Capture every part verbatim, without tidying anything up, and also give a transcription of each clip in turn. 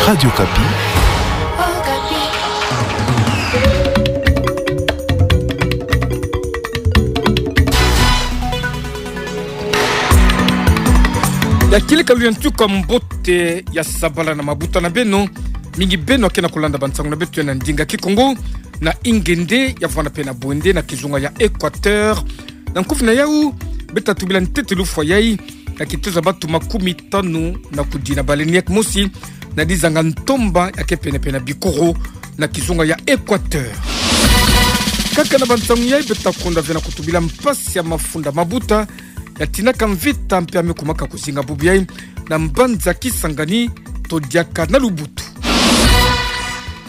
Radio Okapi. Ya kieleka luyantu kwa mbote ya sabala na mabuta na beno, mingi beno ya ke na kulanda bansango na beto ya na ndinga Kikongo, na Ingende, ya vwanda mpe na Bwende, na kizunga ya Equateur. Na nkufi na yau, beta tubila ntete lufwa yai, ya kitezo ya batu makumi tanu na kudina balendi ya kimosi, na dizanga ntomba ya ke pene-pene na bikoro, na kizunga ya Equateur. Kaka na bansango yai beta konda ve na kutubila mpasi ya mafunda mabuta, ya tinaka mvita mpe ya me kumaka kuzinga bubu yai, na mbanza Kisangani, to diaka na Lubutu.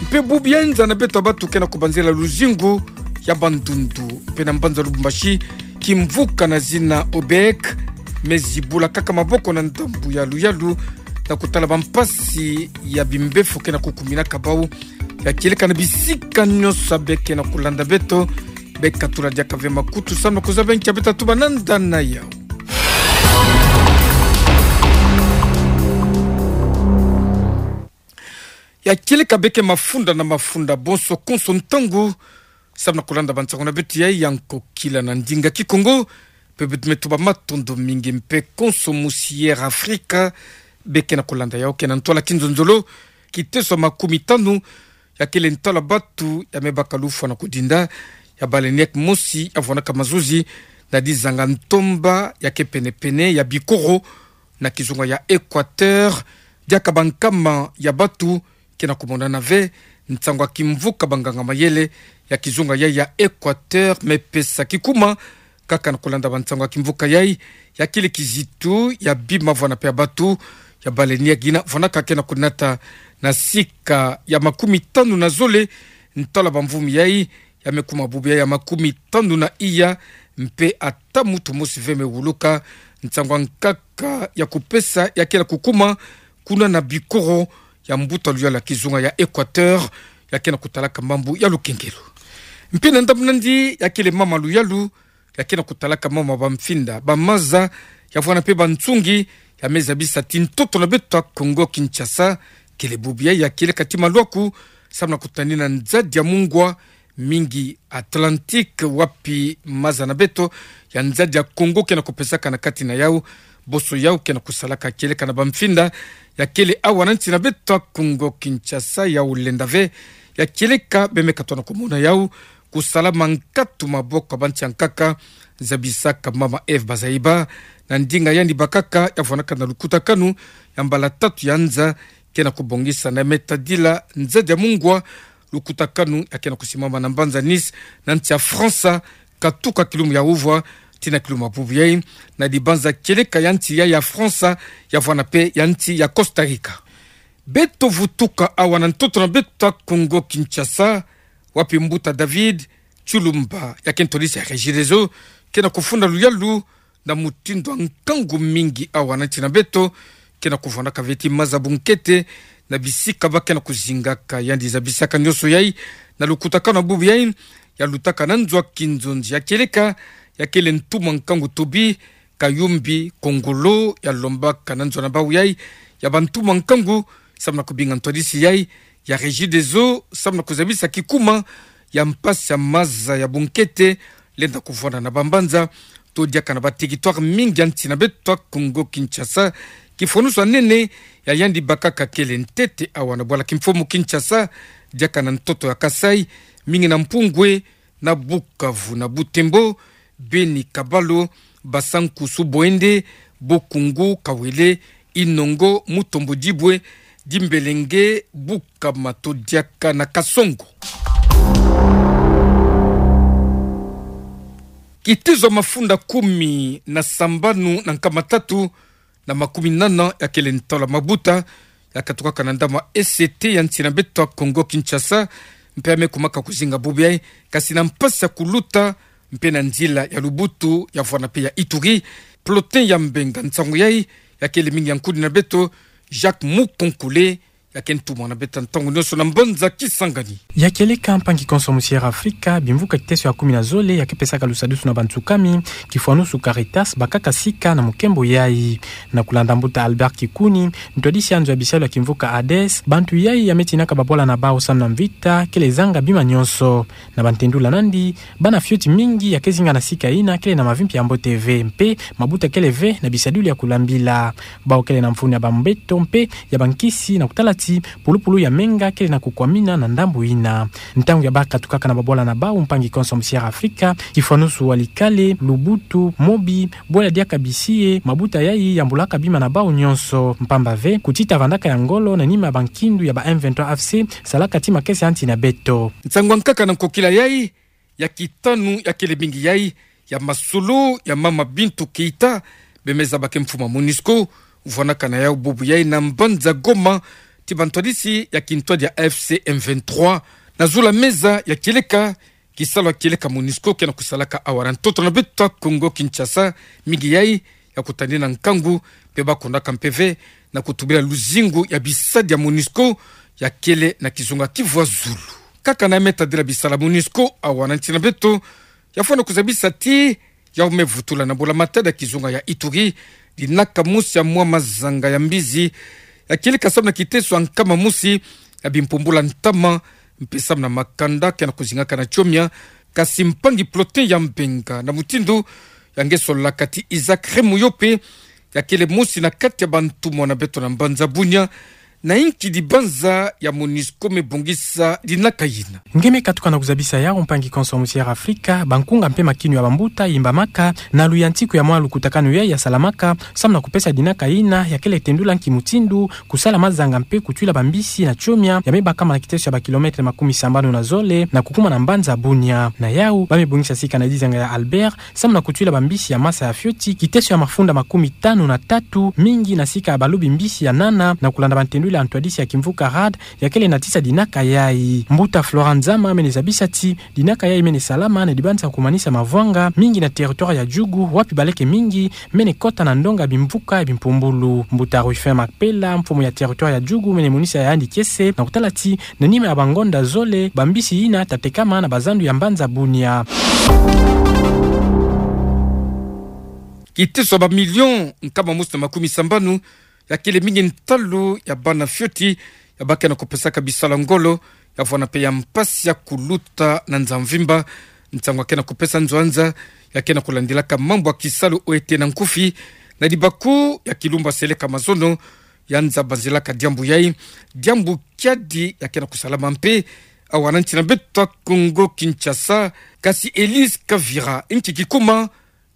Mpe bubu yai nza na beto ya batu ke na kubanzela luzingu ya Bandundu, mpe na mbanza Lubumbashi, kimvuka na zina OBEC, me zibula kaka maboko na ndambu ya luyalu, na kutala bampasi ya bimbefo ke na kukuminaka bau. Ya kieleka na bisika nyonso ya be ke na kulanda beto, be katula diaka ve makutu samu na kuzaba nkia beta tuba na nda na yau. Ya kieleka beke mafunda na mafunda, bonso konso ntangu, samu na kulanda bansango na beto yai ya nkokila na ndinga Kikongo, mpe beto me tuba matondo mingi mpe konso musi Air Afrika, beke na kulanda yau ke na ntwala kinzonzolo, kitezo ya makumi tanu, ya kele ntwala batu ya me baka lufwa na kudinda, ya balendi ya kimosi ya vwanaka mazuzi, na dizanga ntomba ya ke pene-pene ya bikoro, na kizunga ya Equateur, diaka bankama ya batu ke na kumonana ve, nsangu ya kimvuka banganga-mayele ya kizunga yai ya Equateur me pesa kikuma, kaka na kulanda bansangu ya kimvuka yai, ya kele kizitu ya bima vwana mpe ya batu, ya balendi ya ngina vwanaka ke na kunata na sika ya makumi tanu na zole, ntwala bamvumi yai, ya me kuma bubu yai ya makumi tanu na iya, mpe ata muntu mosi ve me wuluka, nsangu ya nkaka ya kupesa ya ke na kukuma, kuna na bikoro ya mbuta luyalu ya kizunga ya Equateur, ya ke na kutalaka mambu ya lukengelo. Mpe na ndambu nandi ya kele mama luyalu, ya ke na kutalaka mama bamfinda, bamaza, ya vwana mpe bansungi, ya me zabisa ti ntoto na beto ya Kongo Kinshasa, kele bubu yai ya kieleka ti maluaku, samu na kutanina nzadi ya mungwa, mingi Atlantique, wapi maza na beto ya nzadi ya Kongo ke na kupesaka na kati na yau, bonso yau ke na kusalaka kieleka na bamfinda, ya kele awa na nsi na beto ya Kongo Kinshasa, yau lenda ve, ya kieleka be me katona kumona yau, kusala mankatu maboko ya bansi ya nkaka, zabisaka mama Eve Bazaiba, na ndinga yandi bakaka, ya vwanaka na lukutakanu ya mbala tatu ya nza, ke na kubongisa na me tadila nzadi ya mungwa, lukutakanu ya ke na kusimama na mbanza Nice, na nsi ya Fransa, katuka kilumbu ya uvwa tii na kilumbu ya bubu yai, na dibanza kieleka ya nsi ya, ya Fransa, ya vwana mpe ya nsi ya Costa Rica. Beto vutuka awa na ntoto na beto ya Kongo Kinshasa, wapi mbuta David Tshilumba, ya ke ntwadisi ya Regideso, ke na kufunda luyalu, na mutindu ya nkangu mingi awa na nsi na beto, ke na kuvwanaka ve ti maza bunkete, na bisika ba ke na kuzingaka, yandi zabisaka nyonso yai, na lukutakanu ya bubu yai, ya lutaka na nzo ya kinzonzi ya kieleka, ya kele ntuma nkangu Toby Kayumbi Kongolo, ya lombaka na nzo na bau yai, ya bantuma nkangu, samu na kubinga ntwadisi yai, ya Regideso, samu na kuzabisa kikuma, ya mpasi ya maza ya bunkete, lenda kuvwanda na bambanza, to diaka na ba territoire mingi ya nsi na beto ya Kongo Kinshasa, kifwanusu ya nene, ya yandi bakaka kele ntete awa na bwala kimfumu Kinshasa, diaka na ntoto ya Kasaï, mingi na Mpungwe, na Bukavu, na Butembo, Beni, Kabalo, Basankusu, Bwende, Bokungu, Kawele, Inongo, Mutombo, Dibwe, Dimbelenge, Bukama to diaka na Kasongo. Kitezo ya mafunda kumi na sambanu na nkama tatu na makumi nana ya kele ntwala mabuta, ya katukaka na ndambu ya E C T ya nsi na beto ya Kongo Kinshasa, mpe ya me kumaka kuzinga bubu yai, kasi na mpasi ya kuluta, mpe na nzila ya Lubutu, ya vwana mpe ya Ituri, Plotin Yambenga, nsangu yai, ya kele mingi ya nkudi na beto, Jacques Mukonkole, ya ke ntumwa na beto ntangu nyonso na mbanza Kisangani. Ya kieleka, mpangi konso musi Air Afrika, bimvuka kiteso ya kumi na zole ya ke pesaka lusadusu na bantsukami, kifwanusu Caritas, bakaka sika na mukembo yayi. Na kulanda mbuta Albert Kikuni, ntwadisi ya nzo ya bisalu ya kimvuka ADES, bantu yayi ya me tinaka babwala na bawu samu na mvita kele zanga bima nyonso. Na bantendula nandi, bana fioti mingi ya ke zinga na sika yina kele na mavi mpe ya mbote ve, mpe mabuta kele ve na bisadilu ya kulambila. Bawu kele na mfunu ya bambeto mpe ya bankisi na kutala ti pulupulu ya menga kele na kukwamina na ndambu yina. Ntangu ya bakatukaka na babwala na bawu, mpangi konso musi Air Afrika, kifwanusu Walikale, Lubutu, Mobi, bwela diaka bisi ye, mabuta yayi yambulaka bima na bawu nyonso. Mpamba ve, kutita vandaka ya ngolo na nima ya bankindu ya ba M vingt-trois F C salaka ti makesa ya nsi na beto. Nsangu ya nkaka na nkokila yayi, ya kitanu ya kele mingi yayi, ya masolo ya mama Bintou Keita, bemeza ba ke mfumu ya MONUSCO, vwanaka na yawu bubu yayi na mbanza Goma, ti bantwadisi ya kintwadi ya F C M vingt-trois, na zula meza ya kieleka, kisalu ya kieleka MONUSCO ke na kusalaka awa na ntoto na beto ya Kongo Kinshasa, mingi yayi ya kutanina nkangu, mpe ba kondaka mpe ve na kutubila luzingu ya bisadi ya MONUSCO ya kele na kizunga kivwa zulu. Kaka na ya me tadila bisalu ya MONUSCO awa na nsi na beto, ya fwana kuzabisa ti yawu me vutula na mbula matadi ya kizunga ya Ituri, dinaka mosi ya mwa mazanga ya mbizi ya kieleka samu na kiteso ya nkama mosi ya bimpumbula ntama, mpe samu na makanda ke na kuzingaka na tiomia, kasi mpangi Plotin Yambenga na mutindu ya nge sololaka ti Isaac Remoyope, ya kele mosi na kati ya bantumwa na beto na mbanza Bunia, na inki dibanza ya MONUSCO me bongisa dinaka yina. Nge me katuka na kuzabisa yawu, mpangi konso musi Air Afrika, bankunga mpe makinu ya bambuta yimbamaka na luyantiku ya mwa lukutakanu yayi ya salamaka samu na kupesa dinaka yina, ya kele tendula nki mutindu kusala mazanga mpe kutwila bambisi na tiomia ya me bakama na kiteso ya ba kilomètre makumi sambanu na zole na kukuma na mbanza Bunia. Na yawu, ba me bongisa sika na dizanga ya Albert samu na kutwila bambisi ya masa ya fioti kiteso ya mafunda makumi tanu na tatu, mingi na sika ya balobi mbisi ya nana, na kulanda bantendula ya ntwadisi ya kimvuka RAD ya kele na tisa dinaka yayi. Mbuta Florent Zama mene zabisa ti dinaka yayi mene salama na dibanza kumanisa mavwanga, mingi na territoire ya Djugu, wapi baleke mingi mene kota na ndonga bimvuka ya bimpumbulu. Mbuta Ruffin Makpela, mfumu ya territoire ya Djugu, mene monisa ya yandi kiese na kutala ti na nima ya bangonda zole, bambisi yina ta tekama na bazandu ya mbanza Bunia. Kiteso ya ba million nkama mosi na makumi sambanu ya kele mingi ntalu ya bana fioti ya ba ke na kupesaka bisalu ya ngolo, ya vwana mpe ya mpasi ya kuluta na nza mvimba. Nsangu ya ke na kupesa nzo ya nza ya ke na kulandilaka mambu ya kisalu oyo ete na nkufi, na dibaku ya kilumbu ya seleka mazono, ya nza banzilaka diambu yayi, diambu kiadi ya ke na kusalama mpe awa na nsi na beto ya Kongo Kinshasa. Kasi Elise Kavira, inki kikuma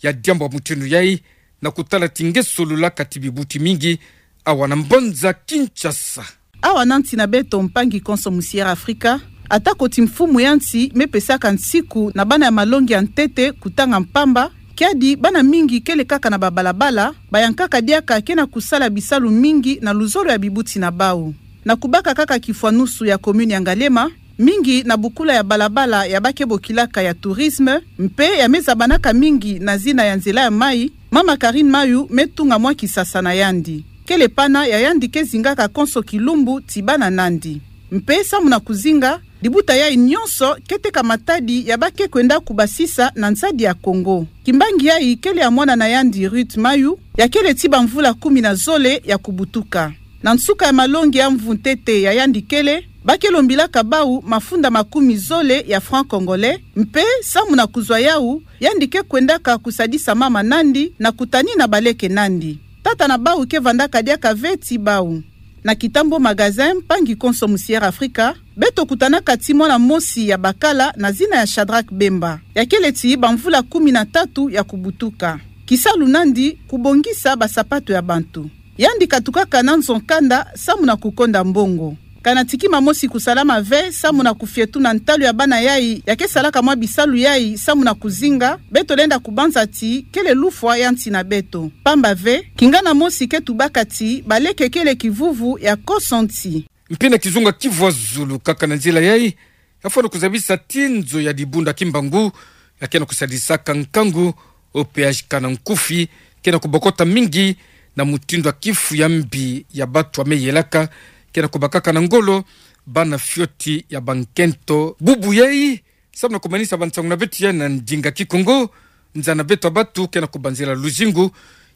ya diambu ya mutindu yayi, na kutala ti nge sololaka ti bibuti mingi awa na mbanza Kinshasa. Awa na nsi na beto, mpangi konso musi Air Afrika, atako ti mfumu ya nsi me pesaka nsiku na bana ya malongi ya ntete kutanga mpamba, kiadi bana mingi kele kaka na babalabala, bayankaka diaka ke na kusala bisalu mingi na luzolo ya bibuti na bawu. Na kubaka kaka kifwanusu ya commune ya Ngaliema, mingi na bukula ya balabala ya ba ke bokilaka ya tourisme, mpe ya me zabanaka mingi na zina ya nzela ya mayi, mama Karine Mayu me tunga mwa kisasa na yandi. Kele pana ya yandi ke zingaka konso kilumbu ti bana nandi. Mpe samu na kuzinga, dibuta yayi nyonso ke teka matadi ya ba ke kwenda kubasisa na nsadi ya Kongo. Kimbangi yayi kele ya mwana na yandi Ruth Mayu, ya kele ti bamvula kumi na zole ya kubutuka. Na nsuka ya malongi ya mvu ntete ya yandi kele, ba ke lombilaka bawu mafunda makumi zole ya francs congolais, mpe samu na kuzwa yawu, yandi ke kwendaka kusadisa mama nandi na kutanina baleke nandi. Tata na bawu ke vandaka diaka ve ti bawu. Na Kitambo Magazin, mpangi konso musi Air Afrika, beto kutanaka ti mwana mosi ya bakala na zina ya Shadrack Bemba, ya kele ti bamvula kumi na tatu ya kubutuka. Kisalu nandi kubongisa basapato ya bantu. Yandi katukaka na nzo nkanda samu na kukonda mbongo. Kana ti kima mosi kusalama ve samu na kufietuna ntalu ya bana yayi ya ke salaka mwa bisalu yayi samu na kuzinga, beto lenda kubanza ti kele lufwa ya nsi na beto. Pamba ve, kingana mosi ke tubaka ti baleke kele kivuvu ya konso nsi. Mpe na kizunga kivwa zulu kaka na nzila yayi, ya fwana kuzabisa ti nzo ya Dibundu ya Kimbangu, ya ke na kusadisaka nkangu, oyo péage kana nkufi ke na kubokota mingi na mutindu ya kifu ya mbi ya batu ya me yelaka, ke na kubakaka na ngolo bana fioti ya bankento. Bubu yai, samu na kumanisa bansango na beto ya na ndinga Kikongo, nza na beto ya batu ke na kubanzila luzingu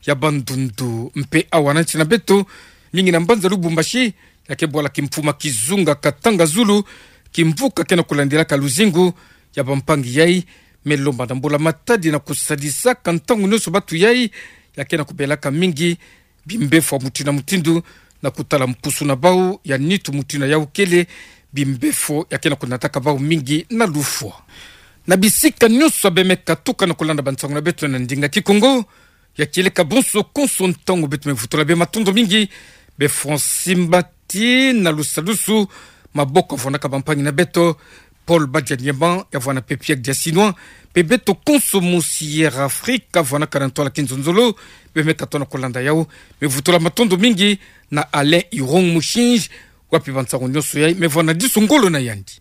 ya bandundu mpe awa na nsi na beto, mingi na mbanza Lubumbashi, ya kebwala kimfuma kizunga Katanga Zulu, kimvuka ke na kulandilaka luzingu ya bampangi yai, me lomba na mbula matadi na kusadisaka ntangu nyonso batu yai, ya ke na kubelaka mingi bimbefo ya mutindu na mutindu, na kutala mpusu na bau ya nitu mutindu yau kele, bimbefo ya ke na kunataka bau mingi na lufwa. Na bisika nyonso ya bemeka tuka na kulanda bansango na beto na ndinga Kikongo, ya kieleka bonso konso ntangu beto me vutula bê matondo mingi, bê Francine Mbati na Lusalusu, maboko ya vwanaka bampangi na beto, Paul Badianyema, ya vwana pepie dia Chinois, mpe beto konso mu Sierra Africa, vwanaka na ntwala kinzonzolo, bemeka tona kulanda yau, me vutula matondo mingi na Alain Irong Mushinji, wapi bansango nyonso yai, me vwana disu ngolo na yandi.